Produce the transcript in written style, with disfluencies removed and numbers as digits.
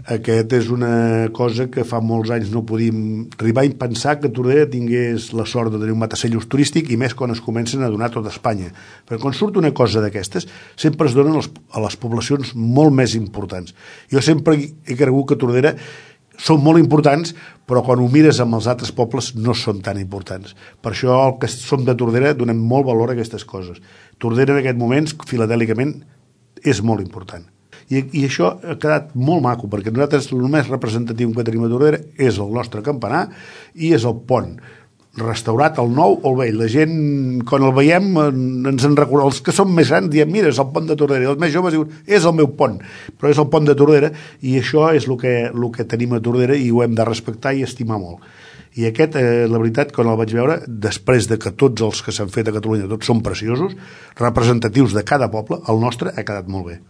Aquest és una cosa que fa molts anys no podíem arribar a pensar que Tordera tingués la sort de tenir un matacellos turístic, i més quan es comencen a donar a tota Espanya. Però quan surt una cosa d'aquestes, sempre es donen a les poblacions molt més importants. Jo sempre he cregut que Tordera són molt importants, però quan ho mires amb els altres pobles no són tan importants. Per això el que som de Tordera donem molt valor a aquestes coses. Tordera en aquest moment, filatèlicament, és molt important. I això ha quedat molt maco, perquè nosaltres el més representatiu que tenim a Tordera és el nostre campanar i és el pont, restaurat el nou o el vell. La gent, quan el veiem, ens en recorda. Els que són més grans diem, mira, és el pont de Tordera, i els més joves diuen, és el meu pont, però és el pont de Tordera, i això és el que tenim a Tordera, i ho hem de respectar i estimar molt. I aquest, la veritat, quan el vaig veure, després de que tots els que s'han fet a Catalunya tots són preciosos, representatius de cada poble, el nostre ha quedat molt bé.